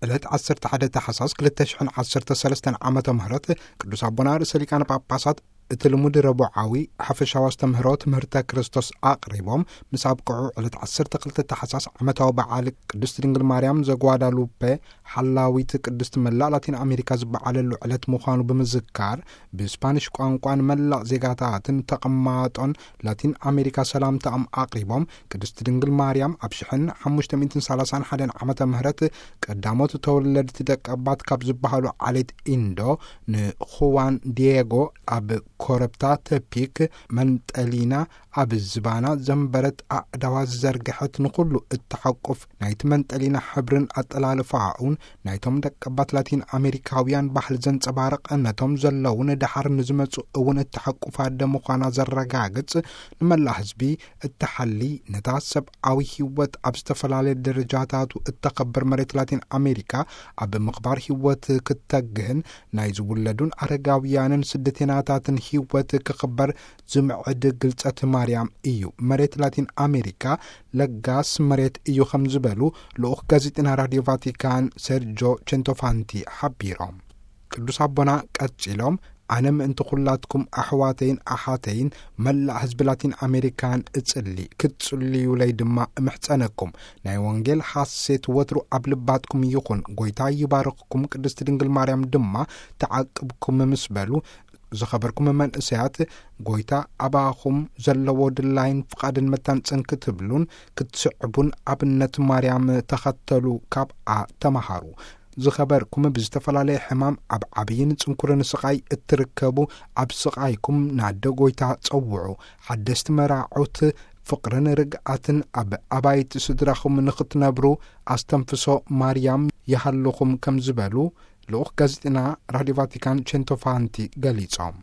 ዕለት ዓሰርተ ሓደ ታሕሳስ ክልተ ሽሕን ዓሰርተ ሰለስተን ዓመተ ምህረት ቅዱስ ኣቦና ርእሰ ሊቃነ ጳጳሳት እቲ ልሙድ ረቡዓዊ ሓፈሻዊ ኣስተምህሮ ትምህርተ ክርስቶስ ኣቕሪቦም ምስ ኣብቅዑ፣ ዕለት ዓሰርተ ክልተ ታሕሳስ ዓመታዊ በዓል ቅድስት ድንግል ማርያም ዘጓዳሉፔ ሓላዊት ቅድስት መላእ ላቲን ኣሜሪካ ዝበዓለሉ ዕለት ምዃኑ ብምዝካር፣ ብስፓኒሽ ቋንቋ ንመላእ ዜጋታትን ተቐማጦን ላቲን ኣሜሪካ ሰላምታኦም ኣቕሪቦም፣ ቅድስት ድንግል ማርያም ኣብ ሽሕን ሓሙሽተ ሚእትን ሰላሳን ሓደን ዓመተ ምህረት ቀዳሞት ተወለድቲ ደቀባት ካብ ዝበሃሉ ዓሌት ኢንዶ ንኹዋን ዲየጎ ኣብ ኮረብታ ተፒክ መንጠሊና ኣብ ዝባና ዘንበረት ኣእዳዋ ዝዘርግሐት፣ ንኹሉ እተሓቁፍ፣ ናይቲ መንጠሊና ሕብርን ኣጠላልፋኡን ናይቶም ደቀባት ላቲን ኣሜሪካውያን ባህሊ ዘንጸባርቕ፣ ነቶም ዘለውን ደሓር ንዝመጹ እውን እተሓቁፍ ኣደ ምዃና ዘረጋግጽ፣ ንመላእ ህዝቢ እተሓሊ፣ ነታ ሰብኣዊ ህይወት ኣብ ዝተፈላለየ ደረጃታቱ እተኸብር መሬት ላቲን ኣሜሪካ ኣብ ምኽባር ህይወት ክተግህን ናይ ዝውለዱን ኣረጋውያንን ስደተኛታትን ህይወት ክኽበር ዝምዕድ ግልጸት ማርያም እዩ። መሬት ላቲን ኣሜሪካ ለጋስ መሬት እዩ ከም ዝበሉ ልኡኽ ጋዜጠና ራዲዮ ቫቲካን ሴርጆ ቼንቶፋንቲ ሓቢሮም። ቅዱስ ኣቦና ቀጺሎም፣ ኣነ ምእንቲ ኩላትኩም ኣሕዋተይን ኣሓተይን መላእ ህዝቢ ላቲን ኣሜሪካን እጽሊ፣ ክትጽልዩለይ ድማ እምሕጸነኩም። ናይ ወንጌል ሓሴት ወትሩ ኣብ ልባትኩም ይኹን። ጎይታ ይባርኽኩም፣ ቅድስቲ ድንግል ማርያም ድማ ተዓቅብኩም ምስ በሉ፣ ዝኸበርኩም መንእሰያት፣ ጎይታ ኣባኹም ዘለዎ ድላይን ፍቓድን መታንጽን ክትብሉን ክትስዕቡን ኣብነት ማርያም ተኸተሉ፣ ካብኣ ተመሃሩ። ዝኸበርኩም ብዝተፈላለየ ሕማም ኣብ ዓብይን ጽንኩርን ስቓይ እትርከቡ፣ ኣብ ስቓይኩም ናደ ጎይታ ጸውዑ። ሓደስቲ መራዑት ፍቕርን ርግኣትን ኣብ ኣባይቲ ስድራኹም ንኽትነብሩ ኣስተንፍሶ ማርያም ይሃልኹም ከም ዝበሉ ልኡኽ ጋዜጠና ራዲዮ ቫቲካን ቼንቶፋንቲ ገሊጾም።